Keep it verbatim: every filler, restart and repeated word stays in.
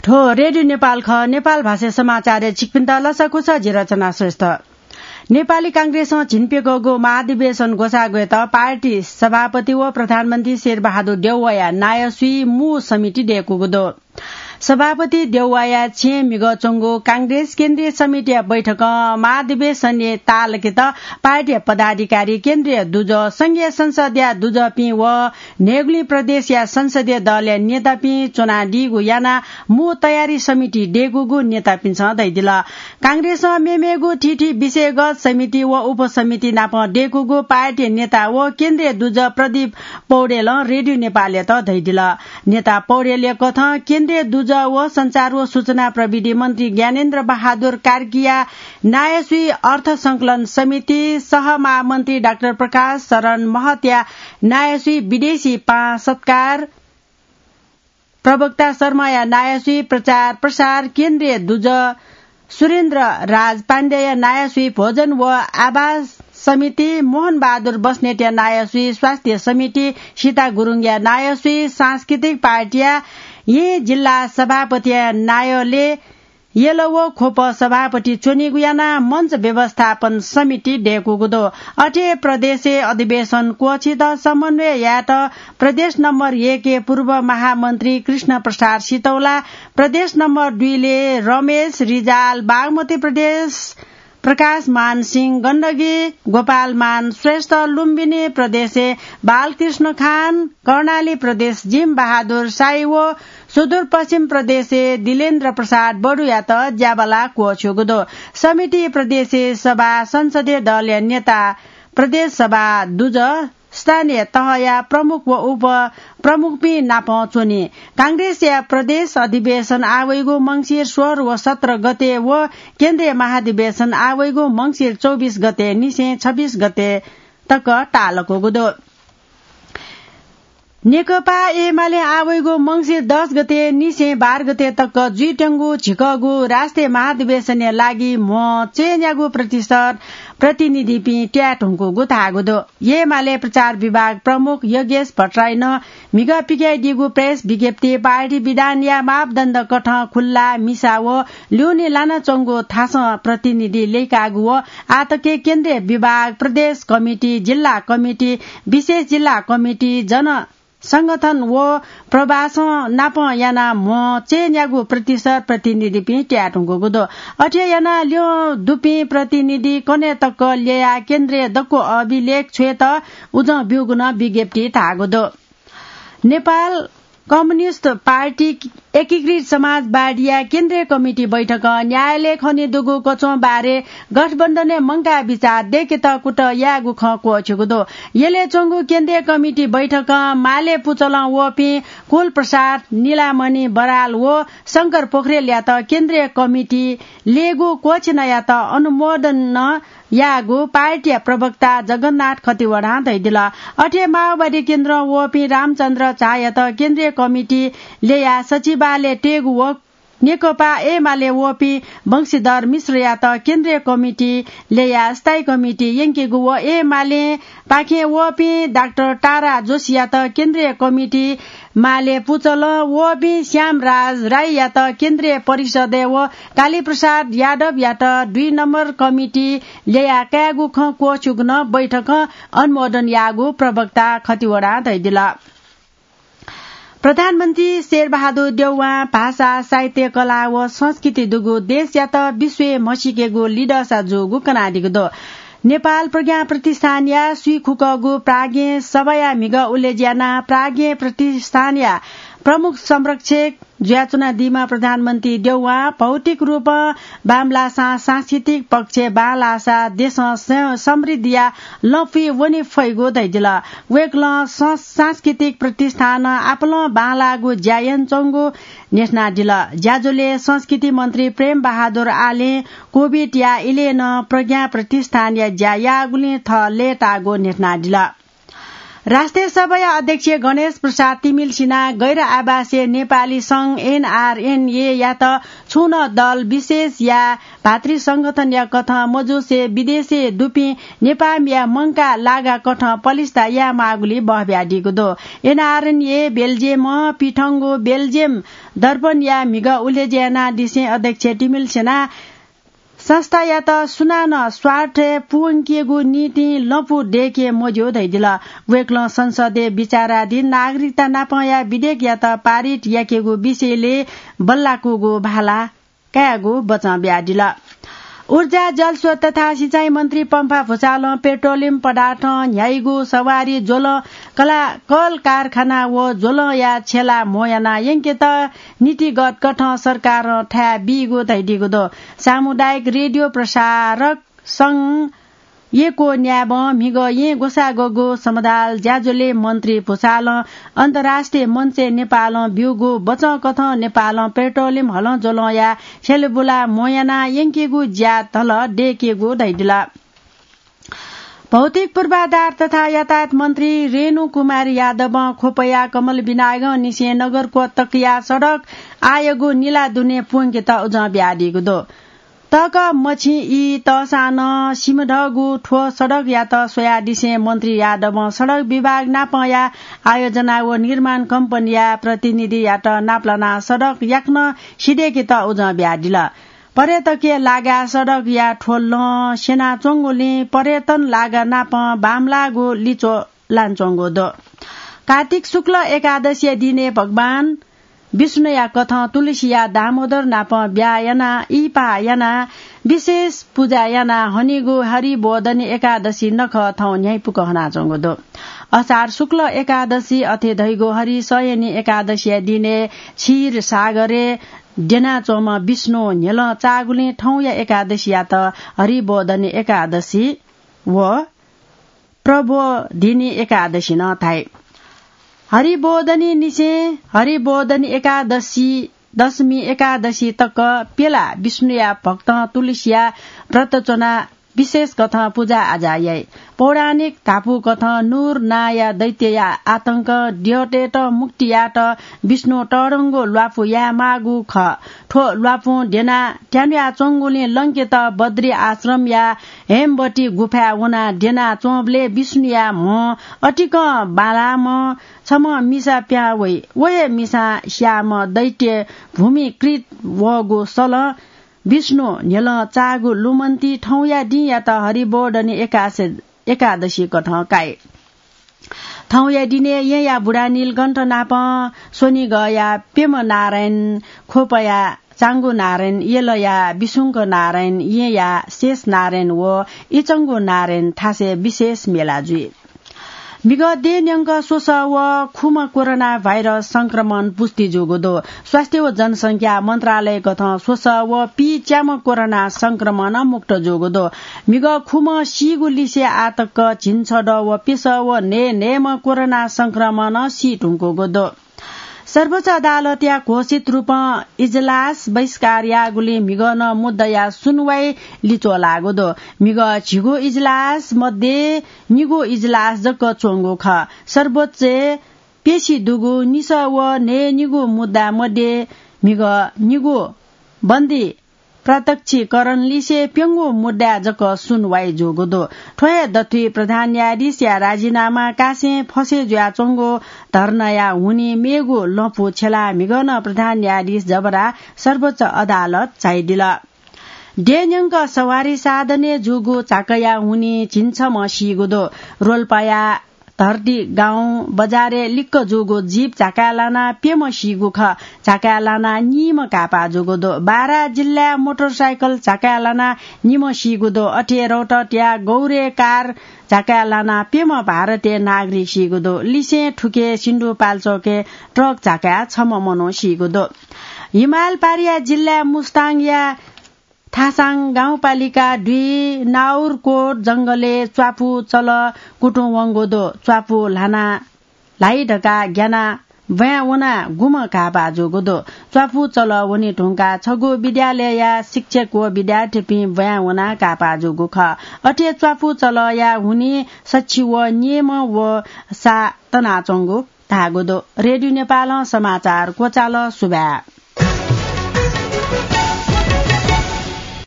थ्व रेडियो नेपाल खः। नेपाल भाषा समाचारय् छिकपिन्त लसकुस, जि रचना श्रेष्ठ। नेपाली कांग्रेसं झिंप्यकःगु महाधिवेशन ग्वसाः ग्वयेत पार्टी सभापति व प्रधानमन्त्री शेरबहादुर देउवाया नायःसुइ मू समिति दय्कूगु दु। सभापति देउवाया छेँय् म्हिगः च्वंगु कांग्रेस केन्द्रीय समितिया बैठकं महाधिवेशनय् ताःलाकेत पार्टीया पदाधिकारी, केन्द्रीय दुजः, संघीय संसदया दुजःपिं व न्हय्गुलिं प्रदेशया संसदीय दलया नेतापिं च्वनादीगु यानाः मू तयारी समिति दय्कूगु नेतापिन्सं धयादिल। कांग्रेसं मेमेगु थीथी विषयगत समिति व उपसमिति नाप दय्कूगु पार्टी नेता व केन्द्रीय दुजः प्रदीप पौडेलं रेडियो नेपालयात धयादिल। नेता पौडेलया कथं केन्द्रीय दुजः व सञ्चार व सूचना प्रविधि मन्त्री ज्ञानेन्द्र बहादुर कार्कीया नायःसुइ अर्थ संकलन समिति, सहमहामन्त्री डाक्टर प्रकाश शरण महतया नायःसुइ विदेशी पाहां सत्कार, प्रवक्ता शर्माया नायःसुइ प्रचार प्रसार, केन्द्रीय दुजः सुरेन्द्र राज पाण्डेया नायःसुइ भोजन व आवास समिति, मोहन बहादुर बस्नेतया नायःसुइ स्वास्थ्य समिति, सीता गुरुङया नायःसुइ सांस्कृतिक पार्टीया येँ जिल्ला सभापतिया नायःलय् यल व ख्वप सभापति च्वनीगु यानाः मञ्च व्यवस्थापन समिति दय्कूगु दु। अथे प्रदेशय् अधिवेशन क्वःछित समन्वय यायेत प्रदेश नम्बर एकया पूर्व महामन्त्री कृष्ण प्रसाद सितौला, प्रदेश नम्बर दुईले रमेश रिजाल, बागमती प्रदेश प्रकाश मान सिंह गण्डकी, गोपाल मान श्रेष्ठ, लुम्बिनी प्रदेशय् बालकृष्ण खान, कर्णाली प्रदेश जिम बहादुर साई व सुदूरपश्चिम प्रदेशय् दिलेन्द्र प्रसाद बडुयात ज्याबाला क्वःछ्यूगु दु। समिति प्रदेशय् सभा, संसदीय दलया नेता, प्रदेश सभा दुजः, स्थानीय तहया प्रमुख व उपप्रमुखपिं नाप च्वनी। कांग्रेसया प्रदेश अधिवेशन आः वइगु मंसिर सोह्र व सत्र गते व केन्द्रीय महाधिवेशन आः वइगु मंसिर चौबिस गते निसें छब्बिस गते तक ताःलाकूगु दु। नेकपा एमाले आः वइगु मंसिर दस गते निसें बाह्र गते तक जुइत्यंगु झिकःगु राष्ट्रिय महाधिवेशनया लागि म्ह चयनयागु प्रतिशत प्रतिनिधिपिं त्याये धुंकूगु धाःगु दु। एमाले प्रचार विभाग प्रमुख योगेश भट्टराईनं म्हिगः पिकयादीगु प्रेस विज्ञप्ति पार्टी विधानया मापदण्ड कथं खुल्ला, मिसा व ल्यूने लानाच्वंगु थासं प्रतिनिधि लय्काःगु व आःतक केन्द्रीय विभाग, प्रदेश कमिटी, जिल्ला कमिटी, विशेष जिल्ला कमिटी, जन संगठन व प्रवासं नाप यानाः म्ह चयनयागु प्रतिशत प्रतिनिधिपिं त्याये धुंकूगु दु। अथे यानाः ल्यं दुपिं प्रतिनिधि कन्हय् तक ल्ययाः केन्द्रय् दक्व अभिलेख छ्वयेत उजं ब्यूगु नं विज्ञप्ति धाःगु दु। नेपाल कम्युनिस्ट पार्टी एकीकृत समाजवादीया केन्द्रीय कमिटी बैठकं न्यायालय खनेदुगु कच्वं बारे गठबन्धनय् मंकाः बिचाः दय्केत कुतः यायेगु खँ क्वःछ्यूगु दु। यलय् च्वंगु केन्द्रीय कमिटी बैठकं माले पुचलं वःपिं कुल प्रसाद, नीलामणि बराल व शंकर पोखरेलयात केन्द्रीय कमिटी लयेगु क्वःछिनायात अनुमोदन नं याःगु पार्टीया प्रवक्ता जगन्नाथ खतिवडां धयादिल। अथे माओवादी केन्द्रं वःपिं रामचन्द्र झायात केन्द्रीय कमिटी लय्याः सचिवालय तयेगु व नेकपा एमाले वःपिं वंशीधर मिश्रयात केन्द्रीय कमिटी लय्याः स्थायी कमिटी यंकेगु व एमालेपाखें वःपिं डाक्टर तारा जोशीयात केन्द्रीय कमिटी, माले पुचलं वःपिं श्यामराज राईयात केन्द्रीय परिषदय् व कालीप्रसाद यादवयात दुई नम्बर कमिटी लय्याः कायेगु खँ क्वःछ्यूगु नं बैठकं अनुमोदन याःगु प्रवक्ता खतिवडां धयादिल। प्रधानमन्त्री शेरबहादुर देउवां भाषा, साहित्य, कला व संस्कृति दुगु देशयात विश्वय् म्हसीकेगु लिधःसा जूगु कनादीगु दु। नेपाल प्रज्ञा प्रतिष्ठानया स्वीखुकःगु प्राज्ञ सभाया म्हिगः उलेज्यानाः प्राज्ञ प्रतिष्ठानया प्रमुख संरक्षक जुयाच्वनादीम्ह प्रधानमन्त्री देउवां भौतिक रूपं बांमलाःसां सांस्कृतिक पक्षय् बांलाःसा देशं स-, समृद्धिया लँपुइ वने फइगु धयादिल। वय्कलं सं-, सांस्कृतिक प्रतिष्ठानं आपालं बांलाःगु ज्या यानाच्वंगु न्ह्यथनादिल। ज्याझ्वलय् संस्कृति मन्त्री प्रेम बहादुर आलें कोभिडया इलय् नं प्रज्ञा प्रतिष्ठानया ज्या याःगुलिं थः लय्ताःगु न्ह्यथनादिल। राष्ट्रिय सभाया अध्यक्ष गणेश प्रसाद तिमिल्सिनां गैर आवासीय नेपाली संघ, एनआरएनएयात छुं नं दल विशेष या भातृ संगठनया कथं मजुसे विदेशय् दुपिं नेपाःमिया मंकाः लागा कथं पलिस्था यायेमाःगुलिइ बहबियादीगु दु। एनआरएनए बेल्जियमं पिथंगु बेल्जियम दर्पणया म्हिगः उलेज्या यानादिसें अध्यक्ष तिमिल्सिनां संस्थायात सुनानं स्वार्थय् पुवंकेगु निंतिं लँपु दय्के मज्यू धयादिल। वय्कलं संसदय् विचाराधीन नागरिकता नापंया विधेयकयात पारित याकेगु विषयलय् बल्लाकूगु भाला कायेगु बचं बियादिल। ऊर्जा, जलस्रोत तथा सिँचाइ मन्त्री पम्फा भुसालं पेट्रोलियम पदार्थं न्ह्याइगु सवारी ज्वलं कला-, कल कारखाना व ज्वलंया छेला म्हो याना यंकेत नीतिगत कथं सरकारं थाय् बीगु धयादीगु दु। सामुदायिक रेडियो प्रसारक संघ येँक्वः न्याय्बं म्हिगः येँ ग्वसाः ग्वःगु समदाल ज्याझ्वलय् मन्त्री भुसालं अन्तर्राष्ट्रिय मञ्चय् नेपालं ब्यूगु बचं कथं नेपालं पेट्रोलियम हलं ज्वलंया छेलबुला म्हो याना यंकेगु ज्या धल दय्केगु धयादिल। भौतिक पूर्वाधार तथा यातायात मन्त्री रेणु कुमार यादवं ख्वपया कमल विनायगंनिसें नगरकोट तकया सडक आःयागु निला दुने पुंकेत उजं बियादीगु दु। तःकः मछिं ई तःसां नं सिमधःगु थ्व सडकयात स्वयादिसें मन्त्री यादवं सडक विभाग नापंया आयोजना व निर्माण कम्पनीया प्रतिनिधियात नापलानाः सडक याकनं सिधय्केत उजं बियादिल। पर्यटकीय लागाय् सडकया थ्व लँ स्यनाच्वंगुलिं पर्यटन लागा नापं बांमलाःगु लिच्वः लानाच्वंगु दु। कार्तिक शुक्ल एकादशीया दिनय् भगवान विष्णुया कथं तुलसीया दामोदर नाप ब्याहा यानाः इहिपाः यानाः विशेष पुजा यानाः हनीगु हरिबोधनी एकादशी नखः थौं न्ह्याइपुक हनाच्वंगु दु। असार शुक्ल एकादशी अथे धइगु हरिशयनी एकादशीया दिनय् क्षीर सागरय् द्यनाच्वंम्ह विष्णु न्ह्यलं चाःगुलिं थौंया एकादशीयात हरिबोधनी एकादशी व प्रबोधिनी एकादशी नं धाइ। हरिबोधनीनिसें हरिबोधनी एकादशी, दशमी एकादशी तक प्यला विष्णुया भक्तं तुलसीया व्रत च्वनाः विशेष कथं पुजा आजा याइ। पौराणिक धापू कथं नूर नांया दैत्यया आतंक द्यःतय्त मुक्ति यायेत विष्णु तःधंगु ल्वापु यायेमाःगु खः। थ्व ल्वापुं द्यनाः त्यानुयाच्वंगुलिं लंकेत बद्री आश्रमया हेमवती गुफाय् वनाः द्यनाच्वंबलय् विष्णुया म्हो अतिकं बांलाःम्ह छम्ह मिसा पिहां वइ। व हे मिसां स्याःम्ह दैत्य भूमिकृत वःगु सलं विष्णु न्ह्यलं चाःगु लुमन्ति थौंया दिंयात हरिबोधनी एकासे-, एकादशी कथं काइ। थौंया दिनय् येँया बुढा नीलकण्ठ नापं स्वनिगःया प्यम्ह नारायण, ख्वपया चांगु नारायण, यलया विशुंक नारायण, येँया शेष नारायण व इचंगु नारायण थासय् विशेष मेला जुइ। म्हिगः देय् न्यंक स्वसः व खुम्ह कोरोना भाइरस संक्रमण पुष्टि जूगु दु। स्वास्थ्य व जनसंख्या मन्त्रालय कथं स्वसः व पीच्याम्ह कोरोना संक्रमण मुक्त जूगु दु। म्हिगः खुम्ह सीगु लिसे आःतक झिंछदँ व प्यसः व न्हय् न्हय्म्ह कोरोना संक्रमणं सी धुंकूगु दु। सर्वोच्च अदालतया घोषित रूपं इजलास बहिष्कार याःगुलिं म्हिगः नं मुद्दाया सुनवाई लिच्वः लाःगु दु। म्हिगः झिगू इजलास मध्ये निगू इजलास जक च्वंगु खः। सर्वोच्चय् प्यसि दुगु निसः व न्हय्निगू मुद्दा मध्ये म्हिगः निगू बन्दी प्रत्यक्षीकरण लिसे प्यंगू मुद्दाय् जक सुनवाई जूगु दु। थ्व हे दथुइ प्रधान न्यायाधीशया राजीनामा कासें फसे जुयाच्वंगु धर्नाया हुनिं मेगु लँपु छ्यलाः म्हिगः नं प्रधान न्यायाधीश जबरा सर्वोच्च अदालत झायादिल। देय् न्यंक सवारी साधनय् जूगु झाँक्काया हुनिं झिंछम्ह सीगु दु। रोल्पाया धर्दी गाउँ बजारय् लिक्क जूगु जीप झाँक्काय् लानाः प्यम्ह सीगु खः। झाँक्काय् लानाः निम्ह घाःपाः जूगु दु। बारा जिल्लाय् मोटरसाइकल झाँक्काय् लानाः निम्ह सीगु दु। अथे रौतहटया गौरय् कार झाँक्काय् लानाः प्यम्ह भारतीय नागरिक सीगु दु। लिसें थुखे सिन्धुपाल्चोकय् ट्रक झाँक्काय् छम्ह मनू सीगु दु। हिमाल पारिया जिल्लाय् मुस्ताङया थासाङ गाउँपालिका दुई नाउरकोट जंगलय् च्वापु चल कुतुं वंगु दु। च्वापु ल्हाना ल्हाइ धकाः ग्यानाः ब्वाँय् वनाः गुम्ह काःपाः जूगु दु। च्वापु चलः वने धुंकाः छगू विद्यालयया शिक्षक व विद्यार्थीपिं ब्वाँय् वनाः काःपाः जूगु खः। अथे च्वापु चलःया हुनिं सछि व निम्ह व सा तनाच्वंगु धाःगु दु। रेडियो नेपालं समाचार क्वचाल। सुभाय्।